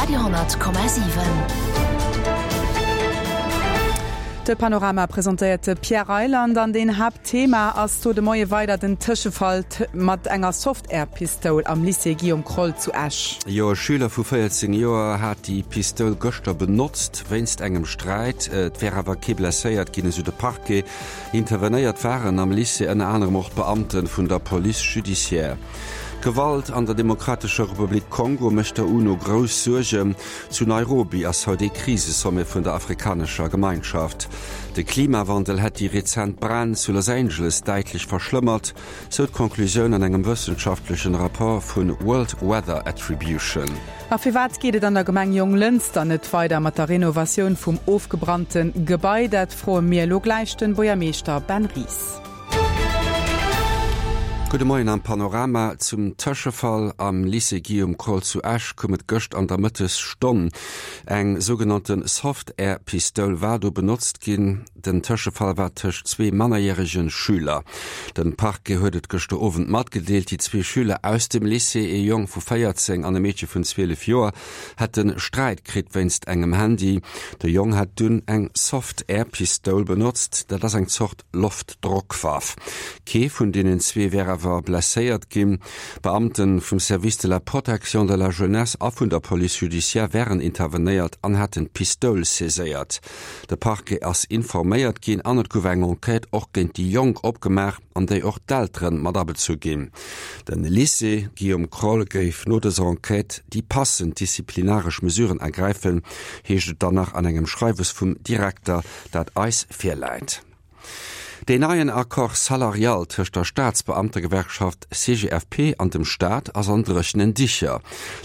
Radio 10,7. De Panorama presentéiert de Pierre Reyland an den Haaptthema ass do de Moie weider den Tëschefall mat enger Soft-Air-Pistoul am Lycée Guillaume Kroll zu Esch. Jo, e Schüler vu 14 Joer hat déi Pistoul gëschter benotzt wéinst engem Sträit. Et wär awer kee blesséiert ginn, esou de Parquet. Intervenéiert waren am Lycée ënner anerem och d'Beamte vun der Police judiciaire. D'Gewalt an der Demokratescher Republik Kongo mécht der UNO grouss Suergen. Zu Nairobi ass haut ee Krisesommet vun der afrikanescher Gemeinschaft. De Klimawandel hätt déi rezent Bränn zu Los Angeles däitlech verschlëmmert, sou d'Conclusioun an engem wëssenschaftlechen Rapport vu World Weather Attribution. A firwat geet et an der Gemeng Jonglënster net weider mat der Renovatioun vum ofgebrannte Gebai? Dat froe mir elo gläich den Buergermeeschter Ben Ries. Gudde Moien am Panorama. Zum Tëschefall am Lycée Guillaume Kroll zu Esch koum et gëscht an der Mëttesstonn. Eng sougenannte Soft-Air-Pistoul war do benotzt ginn. Den Tëschefall war tëscht zwee mannerjärege Schüler. Den Parquet huet et gëschter Owend matgedeelt. Déi zwee Schüler aus dem Lycée, ee Jong vu 14 an e Meedche vun 12 Joer, hätte Sträit kritt wéinst engem Handy. De Jong hätt dunn eng Soft-Air-Pistoul benotzt, dat ass eng Zort Loftdrockwaff. Kee vun deenen zwee wär awer blesséiert ginn. Beamte vum Service de la protection de la jeunesse a vun der Police judiciaire wären intervenéiert an hätten d'Pistoul saiséiert. De Parquet ass informéiert ginn an et gouf eng Enquête och géint déi Jonk opgemaach, an déi och d'Eltere mat abezu ginn. De Lycée Guillaume Kroll géif no dëser Enquête déi passend disziplinaresch Mesuren ergräifen, heescht et dann nach an engem Schreiwes vum Direkter dat eis virläit. Deen neien Accord salarial tëscht der Staatsbeamtegewerkschaft CGFP an dem Staat ass an dréchenen Dicher.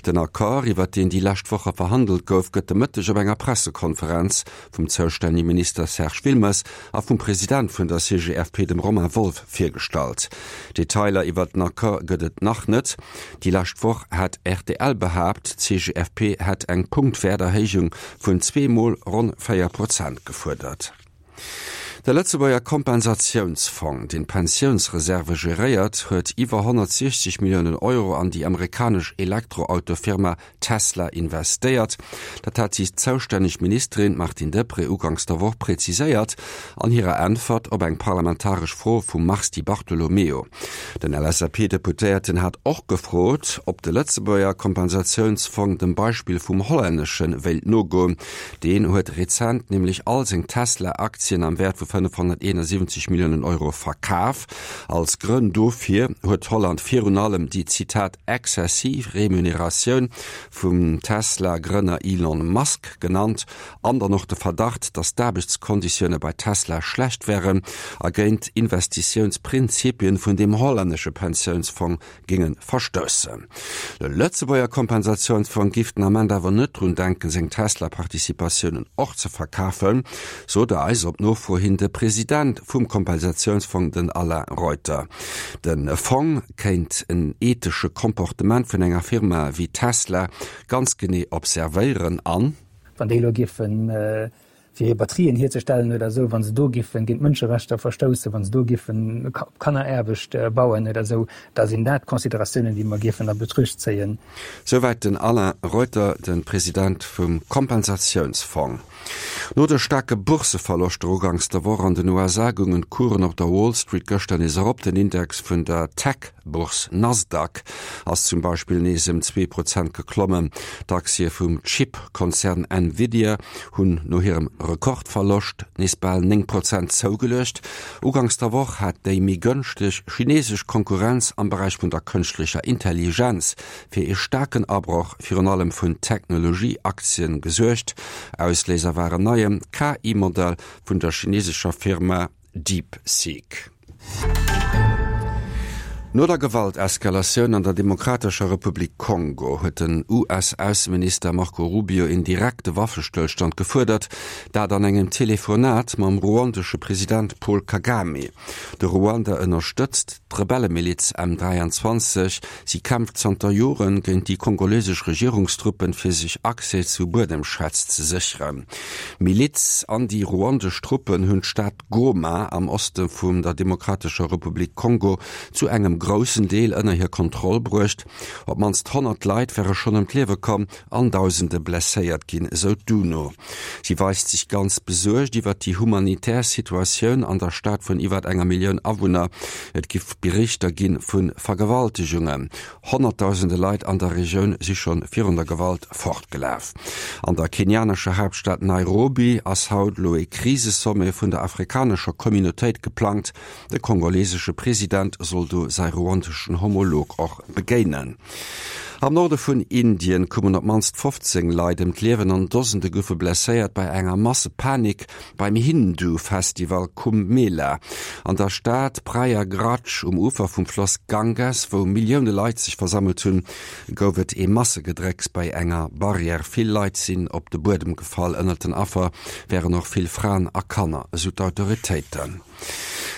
Den Accord, iwwer deen déi lescht Woche verhandelt gouf, gëtt de Mëtteg op enger Pressekonferenz vum zoustännege Minister Serge Wilmes a vum President vun der CGFP, dem Romain Wolff, virgestallt. Detailer iwwer den Accord gëtt et nach net. Déi lescht Woch hat rtl behaapt, d'CGFP hätt eng Punktwäerterhéijung vun zweemol ronn 4 Prozent gefuerdert. De Lëtzebuerger Kompensatiounsfong, deen d'Pensiounsreserve geréiert, huet iwwer 160 Milliounen Euro an déi amerikanesch Elektroautofirma Tesla investéiert. Dat hat déi zoustänneg Ministerin Martine Deprez uganks der Woch präziséiert an hirer Äntwert op eng parlamentaresch Fro vum Mars Di Bartolomeo. Den LSAP-Deputéierten hat och gefrot, ob de Lëtzebuerger Kompensatiounsfong dem Beispill vum hollännesche wéilt nogoen. Deen huet rezent nämlech all seng Tesla-Aktien am Wäert vu 571 Milliounen Euro verkaf. Als Grënn dofir huet Holland virun allem déi, Zitat, exzessiv Remuneratioun vum Tesla-Grënner Elon Musk genannt an dann och de Verdacht, datt d'Aarbechtskonditioune bei Tesla schlecht wären a géint Investitiounsprinzipien vun deem hollännesche Pensiounsfong géinge verstoussen. De Lëtzebuerger Kompensatiounsfong giff den Ament awer net drun denken, seng Tesla-Participatiounen och ze verkafen, sot eis op Nofro hin de President vum Kompensatiounsfong, den Alain Reuter. De Fong kéint en ethesche Comportement vun enger Firma wéi Tesla ganz genee observéieren an. Wann déi elo giffen, fir hir Batterien hierzestellen oder esou, wa se do giffen géint d'Mënscherechter verstoussen, wa se do giffen op Kanneraarbecht bauen oder esou, da sinn dat Consideratiounen, déi mer giffen a Betruecht zéien. Souwäit den Alain Reuter, de President vum Kompensatiounsfong. No de staarke Bourseverloschter uganks der Woch an den USA goungen d'Coursen op der Wall Street gëschter nees erop. Den Index vun der Tech-Bourse Nasdaq ass zum Beispill nees ëm 2 Prozent geklommen. D'Aktie vum Chip-Konzern Nvidia hunn no hirem Rekordverloscht nees bal 9 Prozent zougeluecht. Uganks der Woch hat déi méi gënschteg chinesesch Konkurrenz am Beräich vun der kënschtlecher Intelligenz fir ee staarken Abroch virun allem vun Technologie-Aktien gesuergt. Ausléiser war en neie KI-Modell vun der chinesescher Firma DeepSeek. No der Gewalteskalatioun an der Demokratescher Republik Kongo huet den US-Ausseminister Marco Rubio een direkte Waffestëllstand gefuerdert, dat an engem Telefonat mam ruandesche President Paul Kagame. De Ruanda ënnerstëtzt d'Rebellemiliz M23. Si kämpft zanter Jore géint déi kongolesesch Regierungstruppen, fir sech Accès zu Buedemschätz ze sécheren. D'Miliz an déi ruandesch Truppen hunn d'Stad Goma am Oste vun der Demokratescher Republik Kongo zu engem. groussen Deel ënner hir Kontroll bruecht. Op d'mannst 100 Leit wäre schonn ëm d'Liewe komm an Dausende blesséiert ginn, esou d'UNO. Si weist sech ganz besuergt iwwer déi humanitär Situatioun an der Stad vun iwwer enger Millioun Awunner. Et giff Berichter gi vu Vergewaltegungen. Honnertdausende Leit an der Regioun si schonn virun der Gewalt fortgelaf. An der kenianescher Haaptstad Nairobi ass haut elo ee Krisesommet vun der afrikanescher Communautéit geplangt. De kongolesesche President soll do säi ruandeschen Homolog och begéinen. Am Norde vun Indien koumen op d'mannst 15 Leit ëm d'Liewen an Dosende goufe blesséiert bei enger Massepanik beim Hindu-Festival Kumbh Mela an der Stad Prayagraj um Ufer vum Floss Ganges, wou Millioune Leit sech versammelt hunn, gouf et ee Massegedrécks bei enger Barrière. Vill Leit sinn op de Buedem gefall. Ënnert den Affer wären och vill Fraen a Kanner, esou d'Autoritéiten.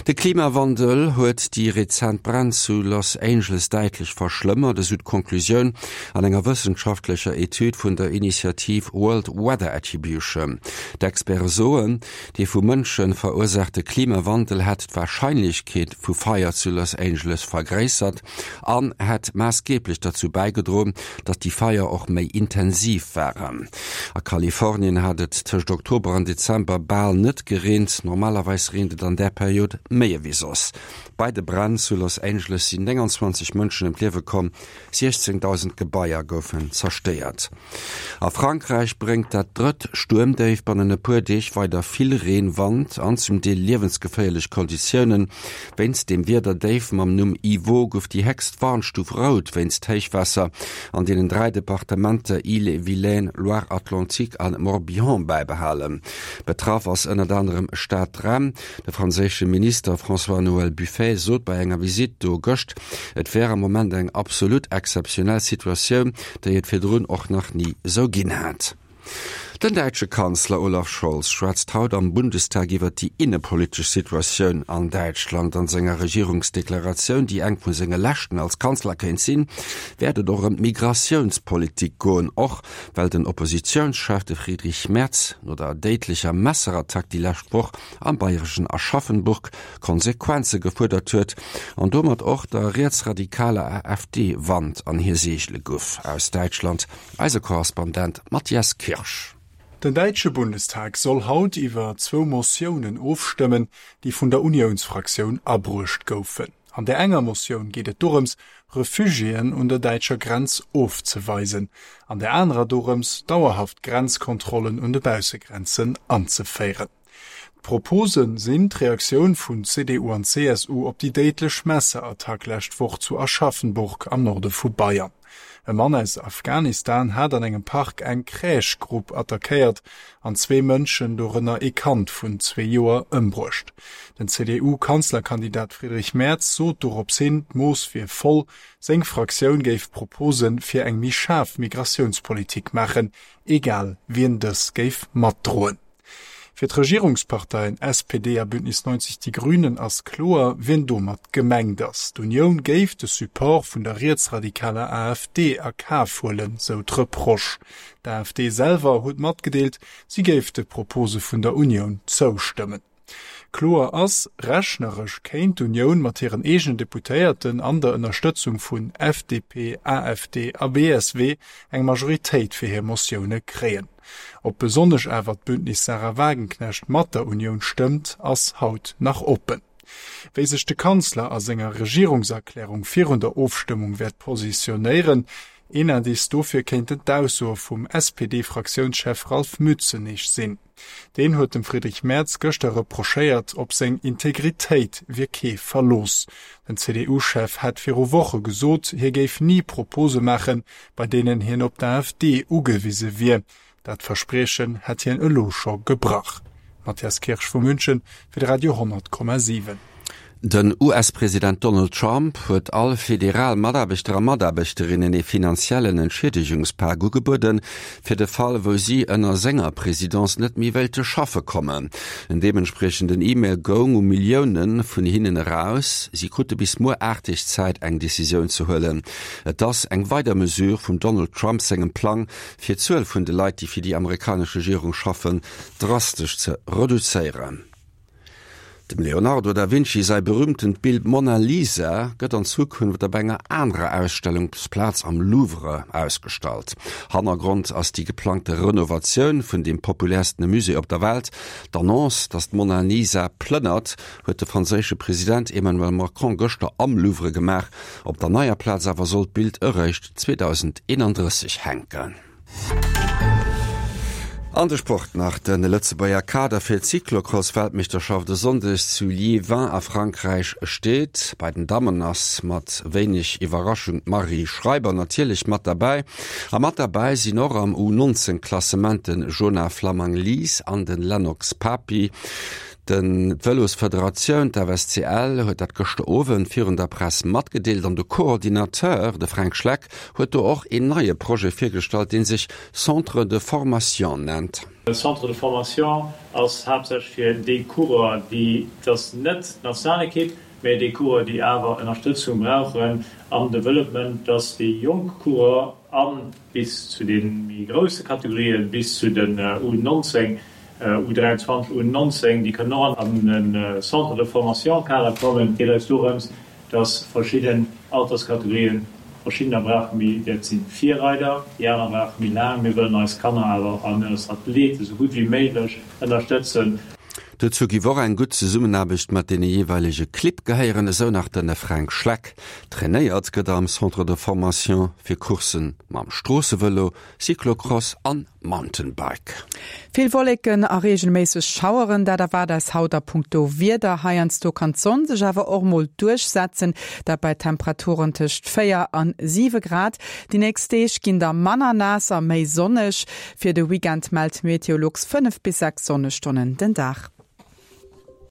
De Klimawandel huet déi rezent Bränn zu Los Angeles däitlech verschlëmmert, esou d'Conclusioun an enger wëssenschaftlecher Etüd vun der Initiativ World Weather Attribution. D'Experte soen, dee vu Mënsche verursaachte Klimawandel hätt d'Warscheinlechkeet vu Feier zu Los Angeles vergréissert an hätt maassgeeblech derzou bäigedroen, datt déi Feier och méi intensiv waren. A Kalifornien hat et tëscht Oktober an Dezember bal net gereent, normalerweis reent et an där Period méi ewéi soss. Bei de Bränn zu Los Angeles sinn 29 Mënschen ëm d'Liewe komm, 16.000 Gebaier goufen zerstéiert. A Frankräich bréngt dat drëtt Stuermdéif bannen e puer Deeg weider vill Reen, Wand an zum Deel liewensgeféierlech Konditiounen. Wéinst dem Wiederdéif mam Numm Ivo gouf déi héchst Warnstuf Rout wéinst Héichwaasser an deenen 3 Departementer Ille-et-Vilaine, Loire-Atlantique a Morbihan bäibehalen. Betraff ass ënnert anerem Stad Rennes. De franséische Minister François-Noël Buffet sot bei enger Visitt do gëscht, et wär am Moment eng absolut exzeptionell Situatioun, déi et virdrun och nach ni esou ginn hätt. Den däitsche Kanzler Olaf Scholz schwätzt haut am Bundestag iwwer déi innepolitesch Situatioun an Däitschland. An senger Regierungsdeklaratioun, déi eng vu senge leschten als Kanzler kéint sinn, wäert et och ëm d'Migratiounspolitik goen, och well den Oppositiounschef, de Friedrich Merz, no der déidlecher Messerattack déi lescht Woch am bayreschen Aschaffenburg Konsequenze gefuerdert huet an domat och der rietsradikaler AfD Wand an hir Seegele guff. Aus Däitschland eise Korrespondent Matthias Kirsch. Den däitsche Bundestag soll haut iwwer zwou Motiounen ofstëmmen, déi vun der Uniounsfraktioun abruecht goufen. An där enger Motioun geet et dorëms, Refugiéen un der däitscher Grenz ofzeweisen, an där anerer dorëms, dauerhaft Grenzkontrollen un de Baussegrenzen anzeféieren. D'Propose sinn d'Reaktioun vun CDU an CSU op déi déidlech Messerattack lescht Woch zu Aschaffenburg am Norde vu Bayern. E Mann aus Afghanistan hat an engem Park eng Crèche-Grupp attackéiert an zwee Mënschen, dorënner ee Kand vun zwee Joer, ëmbruecht. Den CDU-Kanzlerkandidat Friedrich Merz sot dorops hin, d'Mooss wier voll. Seng Fraktioun géif Propose fir eng méi schaarf Migratiounspolitik maachen, egal wien dës géif matdroen. Fir d'Regierungsparteien SPD a Bündnis 90 Die Grünen ass kloer, wien domat gemengt ass. D'Unioun géif de Support vun der rietsradikaler AfD a Kaf huelen, sou d'Reproche. D'AfD selwer huet matgedeelt, si géif de Propose vun der Unioun zoustëmmen. Kloer ass, Rechneresch kéint d'Unioun mat hiren eegenen Deputéierten an der Ënnerstëtzung vun FDP, AfD a BSW eng Majoritéit fir hir Motioune kréien. Ob besonnesch awer d'Bündnis Sahra Wagenknecht mat der Unioun stëmmt, ass haut nach oppen. Wéi sech de Kanzler a senger Regierungserklärung virun der Ofstëmmung wäert positionéieren, een Indice dofir kéinten d'Aussoe vum SPD-Fraktiounschef Ralph Mützenich sinn. Deen huet dem Friedrich Merz gëschter reprochéiert, op seng Integritéit wier kee Verlooss. Den CDU-Chef hätt viru Woche gesot, hie géif ni Propose maachen, bei deenen hien op d'AfD ugewise wier. Dat Verspriechen hätt hien elo scho gebrach. Matthias Kirsch vu München fir de Radio 100,7. Den US-President Donald Trump huet all federal Mataarbechter a Mataarbechterinnen ee finanziellen Entschiedegungspak ugebueden, fir de Fall, wou si ënner senger Presidence net méi wéilte schaffe kommen. En deementspriechenden E-Mail goung u Millioune vun hinnen eraus. Si krute bis muer 8 Deeg Zäit, eng Decisioun ze huelen. Et ass eng weider Mesure vum Donald Trump sengem Plang, fir d'Zuel vun de Leit, déi fir déi amerikanesch Regierung schaffen, drastesch ze reduzéieren. Dem Leonardo da Vinci säi berüümtent Bild Mona Lisa gëtt an Zukunft op enger anerer Ausstellungsplaz am Louvre ausgestallt. Hannergrond ass déi geplangte Renovatioun vun deem populäerstene Musée op der Welt. D'Annonce, datt d'Mona Lisa plënnert, huet de franséische President Emmanuel Macron gëschter am Louvre gemaach. Op der neier Plaz awer soll d'Bild eréischt 2031 hänken. An de Sport nach, De Lëtzebuerger Kader fir d'Cyclocross-Weltmeeschterschaft e Sonndeg zu Liévin a Frankräich steet. Bei den Dammen ass mat wéineg Iwwerraschung d'Marie Schreiber natierlech mat derbäi. A mat derbäi sinn och am U 19 Klassement de Jonah Flammang-Lies an de Lennox Papi. Den D'Vëlosfederatioun, d'FSCL, huet dat gëschter Owend virun der Press matgedeelt an de Coordinateur, de Fränk Schleck, huet do och een neie Projet virgestallt, dee sech Centre de formation nennt. Centre de formation ass haaptsächlech fir déi Coureur, déi, et ass net d'Nationalekipp, mä déi Coureur, déi awer Ënnerstëtzung brauchen am Development, dass déi jonk Coureur a bis zu de méi grousse Kategorien, bis zu den U19, U23, U19, déi kënnen och an e Centre de formation Kader kommen. Et geet eis dorëms, dass verschidden Alterskategorien, verschiddener brauche méi, dat si Virreider, déi aner brauche méi laang. Mir wëllen eis Kanner awer an eis Athlete sou gutt wéi méiglech ënnerstëtzen. Dozou giff och eng gutt Zesummenaarbecht mat deene jeeweilege Clibb gehéieren, esou nach de Fränk Schleck. Trainéiert gëtt am Centre de Formation fir Coursse mam Stroossevëlo, Cyclocross an Mountainbike. Vill Wolleken a reegelméisseg Schaueren, dat erwaart eis haut a punkto Wieder. Heiansdo kann d'Sonn sech awer och mol duerchsetzen, dat bei Temperaturen tëscht 4 an 7 Grad. Déi nächst Deeg ginn da manner naass a méi sonneg. Fir de Weekend mellt Meteolux 5 bis 6 Sonnestonnen den Dag.